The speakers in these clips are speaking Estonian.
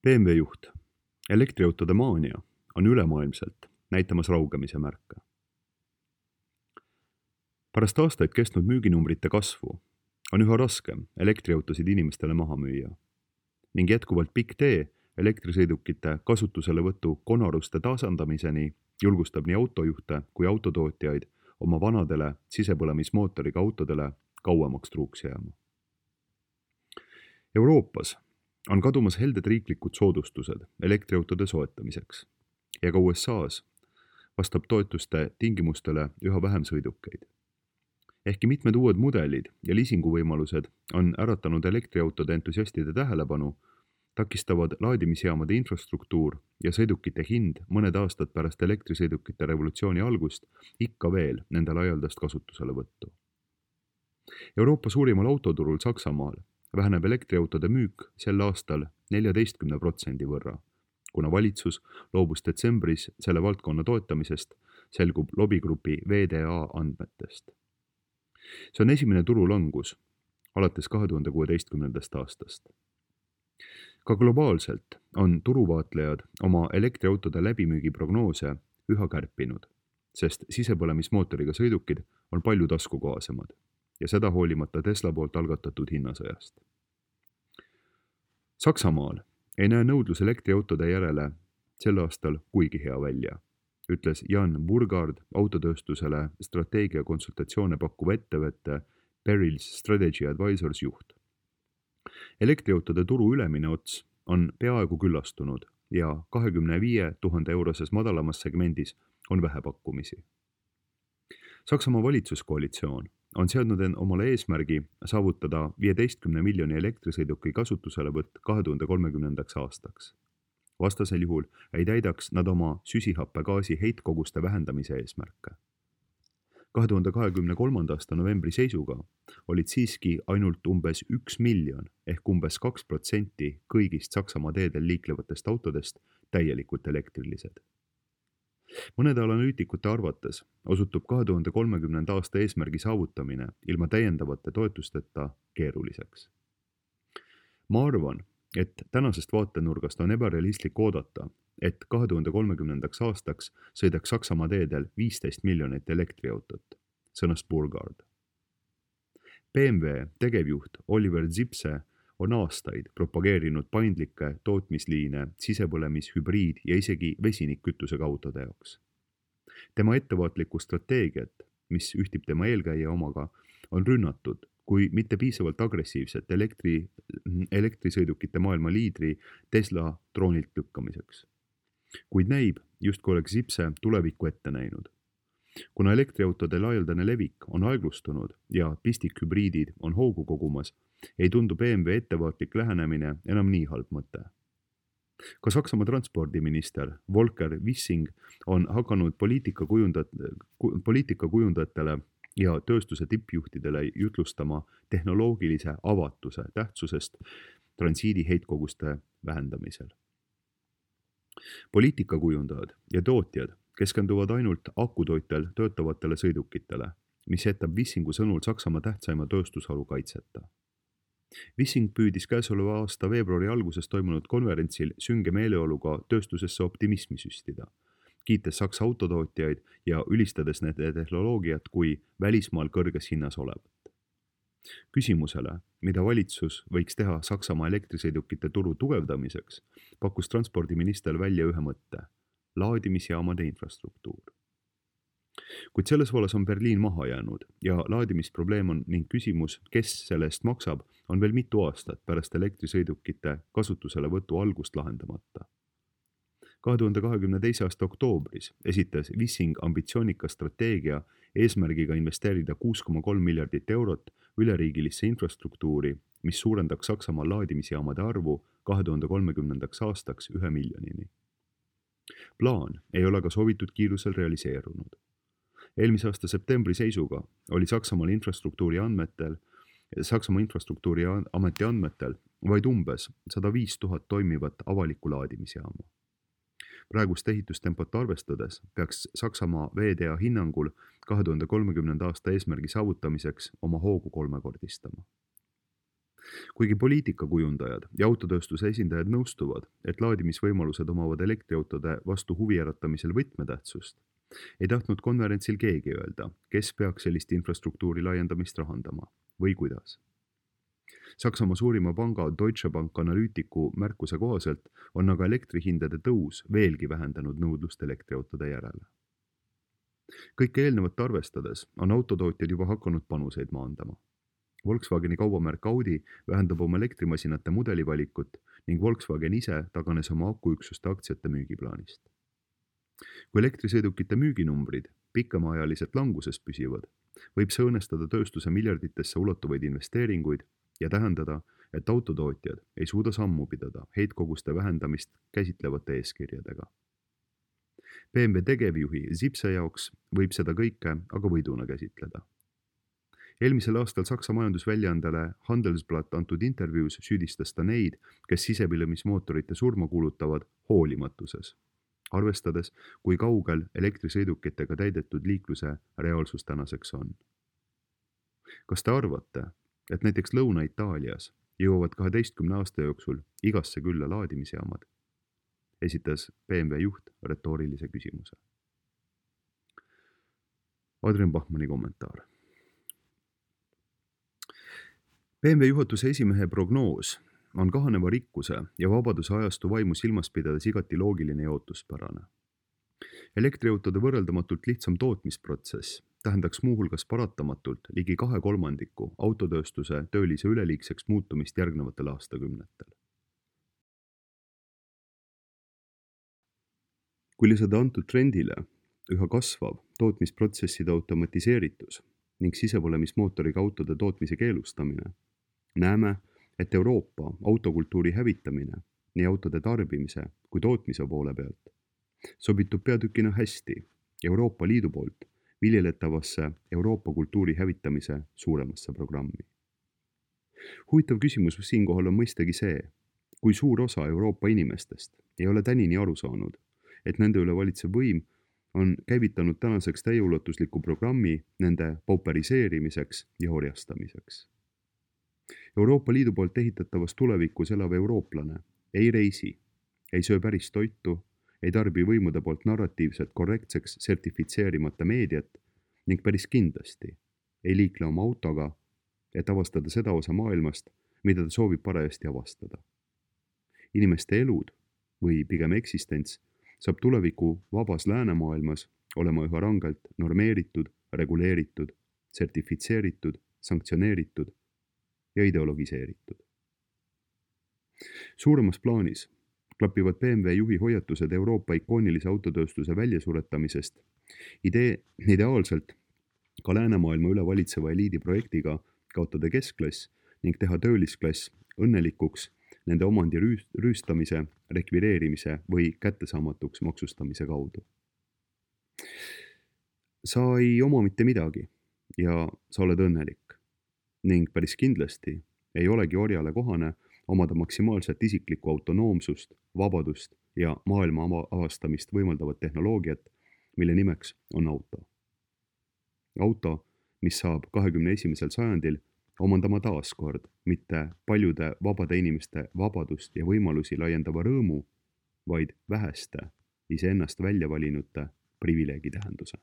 BMW juht. Elektriautode maania on ülemaailmselt näitamas raugemise märke. Pärast aastaid kestnud müüginumbrite kasvu on üha raskem elektriautosid inimestele maha müüa ning jätkuvalt pikk tee elektrisõidukite kasutuselevõtu konaruste tasandamiseni julgustab nii autojuhte kui autotootjaid oma vanadele sisepõlemismootoriga autodele kauemaks truuks jääma. Euroopas on kadumas helded riiklikud soodustused elektriautode soetamiseks ja ka USA's vastab toetuste tingimustele üha vähem sõidukeid. Ehkki mitmed uued mudelid ja liisinguvõimalused on äratanud elektriautode entusiastide tähelepanu, takistavad laadimisjaamade infrastruktuur ja sõidukite hind mõned aastad pärast elektrisõidukite revolutsiooni algust ikka veel nende laialdast kasutuselevõttu. Euroopa suurimal autoturul Saksamaal väheneb elektriautode müük sel aastal 14% võrra, kuna valitsus loobus detsembris selle valdkonna toetamisest, selgub lobigrupi VDA andmetest. See on esimene turulangus alates 2016. aastast. Ka globaalselt on turuvaatlejad oma elektriautode läbimüügi prognoose üha kärpinud, sest sisepõlemismootoriga sõidukid on palju taskukohasemad ja seda hoolimata Tesla poolt algatatud hinnasõjast. Saksamaal ei näe nõudlus elektriautode järele sel aastal kuigi hea välja, ütles Jan Burgard autotööstusele strateegiakonsultatsioone pakkuva ettevõtte Perils Strategy Advisors juht. Elektriautode turu ülemine ots on peaaegu küllastunud ja 25 000 euroses madalamas segmendis on vähe pakkumisi. Saksamaa valitsuskoalitsioon on seadnud omale eesmärgi saavutada 15 miljoni elektrisõiduki kasutuselevõtt 2030. aastaks. Vastasel juhul ei täidaks nad oma süsihappegaasi heitkoguste vähendamise eesmärke. 2023. aasta novembri seisuga olid siiski ainult umbes 1 miljon ehk umbes 2% kõigist Saksamaa teedel liiklevatest autodest täielikult elektrilised. Mõnede analüütikute arvates osutub 2030. aasta eesmärgi saavutamine ilma täiendavate toetusteta keeruliseks. Ma arvan, et tänasest vaatenurgast on ebarealistlik oodata, et 2030. aastaks sõidaks Saksamaa teedel 15 miljonit elektriautot, sõnas Burgard. BMW tegevjuht Oliver Zipse on aastaid propageerinud paindlikke tootmisliine sisepõlemis, hübriid ja isegi vesinikkütusega autode jaoks. Tema ettevaatlikku strateegiat, mis ühtib tema eelkäija omaga, on rünnatud kui mitte piisavalt agressiivset elektrisõidukite maailma liidri Tesla troonilt lükkamiseks. Kuid näib, justkui oleks Zipse tulevikku ette näinud. Kuna elektriautode laialdane levik on aeglustunud ja pistikhübriidid on hoogu kogumas, ei tundu BMW ettevaatlik lähenemine enam nii halb mõte. Ka Saksamaa transpordiminister Volker Wissing on hakanud poliitikakujundajatele ja tööstuse tippjuhtidele jutlustama tehnoloogilise avatuse tähtsusest transiidi heitkoguste vähendamisel. Poliitikakujundajad ja tootjad keskenduvad ainult akutoitel töötavatele sõidukitele, mis jätab Wissingu sõnul Saksamaa tähtsaima tööstusharu kaitseta. Wissing püüdis käesoleva aasta veebruari alguses toimunud konverentsil sünge meeleoluga tööstusesse optimismi süstida, kiites Saksa autotootjaid ja ülistades nende tehnoloogiat kui välismaal kõrges hinnas olevat. Küsimusele, mida valitsus võiks teha Saksamaa elektrisõidukite turu tugevdamiseks, pakkus transpordiminister välja ühe mõtte: laadimisjaamade infrastruktuur. Kuid selles vallas on Berliin maha jäänud ja laadimisprobleem on ning küsimus, kes selle eest maksab, on veel mitu aastat pärast elektrisõidukite kasutuselevõtu algust lahendamata. 2022. aasta oktoobris esitas Wissing ambitsioonika strateegia eesmärgiga investeerida 6,3 miljardit eurot üleriigilisse infrastruktuuri, mis suurendaks Saksamaa laadimisjaamade arvu 2030. aastaks 1 miljonini. Plaan ei ole ka soovitud kiirusel realiseerunud. Eelmise aasta septembri seisuga oli Saksamaa infrastruktuuri ameti andmetel vaid umbes 105 000 toimivat avalikku laadimisjaama. Praegust ehitustempot arvestades peaks Saksamaa VDA hinnangul 2030. aasta eesmärgi saavutamiseks oma hoogu kolmekordistama. kuigi poliitikakujundajad ja autotööstuse esindajad nõustuvad, et laadimisvõimalused omavad elektriautode vastu huvi äratamisel võtmetähtsust, ei tahtnud konverentsil keegi öelda, kes peaks sellist infrastruktuuri laiendamist rahandama või kuidas. Saksamaa suurima panga Deutsche Bank analüütiku märkuse kohaselt on aga elektrihindade tõus veelgi vähendanud nõudlust elektriautode järele. Kõike eelnevat arvestades on autotootjad juba hakanud panuseid maandama. Volkswageni kaubamärk Audi vähendab oma elektrimasinate mudelivalikut ning Volkswagen ise taganes oma akuüksuste aktsiate müügiplaanist. Kui elektrisõidukite müüginumbrid pikemaajaliselt languses püsivad, võib see õnnestada tööstuse miljarditesse ulatuvaid investeeringuid ja tähendada, et autotootjad ei suuda sammu pidada heitkoguste vähendamist käsitlevate eeskirjadega. BMW tegevjuhi Zipse jaoks võib seda kõike aga võiduna käsitleda. Eelmisel aastal Saksa majandusväljaandele Handelsblatt antud intervjuus süüdistas ta neid, kes sisepõlemismootorite surma kuulutavad hoolimatuses, arvestades, kui kaugel elektrisõidukitega täidetud liikluse reaalsus tänaseks on. Kas te arvate, et näiteks Lõuna-Itaalias jõuavad 12 aasta jooksul igasse külla laadimisjaamad? Esitas BMW juht retoorilise küsimuse. Adrian Bachmanni kommentaar. BMW juhatuse esimehe prognoos on kahaneva rikkuse ja vabaduse ajastu vaimu silmas pidades igati loogiline ja ootuspärane. Elektriautode võrreldamatult lihtsam tootmisprotsess tähendaks muuhulgas paratamatult ligi 2/3 autotööstuse töölise üleliigseks muutumist järgnevatel aastakümnetel. Kui lisada antud trendile üha kasvav tootmisprotsesside automatiseeritus ning sisepõlemismootoriga autode tootmise keelustamine, näeme, et Euroopa autokultuuri hävitamine nii autode tarbimise kui tootmise poole pealt sobitub peatükina hästi Euroopa Liidu poolt viljeletavasse Euroopa kultuuri hävitamise suuremasse programmi. Huvitav küsimus siinkohal on mõistagi see, kui suur osa Euroopa inimestest ei ole tänini aru saanud, et nende üle valitsev võim on käivitanud tänaseks täieulatusliku programmi nende pauperiseerimiseks ja orjastamiseks. Euroopa Liidu poolt ehitatavas tulevikus elav eurooplane ei reisi, ei söö päris toitu, ei tarbi võimude poolt narratiivselt korrektseks sertifitseerimata meediat ning päris kindlasti ei liikle oma autoga, et avastada seda osa maailmast, mida ta soovib parajasti avastada. Inimeste elud või pigem eksistents saab tuleviku vabas läänemaailmas olema üha rangelt normeeritud, reguleeritud, sertifitseeritud, sanktsioneeritud ja ideologiseeritud. Suuremas plaanis klapivad BMW juhi hoiatused Euroopa ikoonilise autotööstuse väljasuretamisest ideaalselt ka läänemaailma üle valitseva eliidi projektiga kaotada keskklass ning teha töölisklass õnnelikuks nende omandi rüüstamise, rekvireerimise või kättesaamatuks maksustamise kaudu. Sa ei oma mitte midagi ja sa oled õnnelik ning päris kindlasti ei olegi orjale kohane omada maksimaalset isiklikku autonoomsust, vabadust ja maailma avastamist võimaldavat tehnoloogiat, mille nimeks on auto. Auto, mis saab 21. sajandil omandama taaskord mitte paljude vabade inimeste vabadust ja võimalusi laiendava rõõmu, vaid väheste iseennast välja valinute privileegi tähenduse.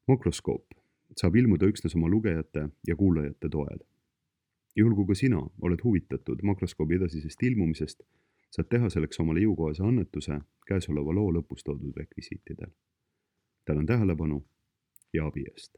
Makroskoop saab ilmuda üksnes oma lugejate ja kuulajate toel. Juhul kui ka sina oled huvitatud makroskoobi edasisest ilmumisest, saad teha selleks omale jõukohase annetuse käesoleva loo lõpus toodud rekvisiitidel. Tänan tähelepanu ja abi eest!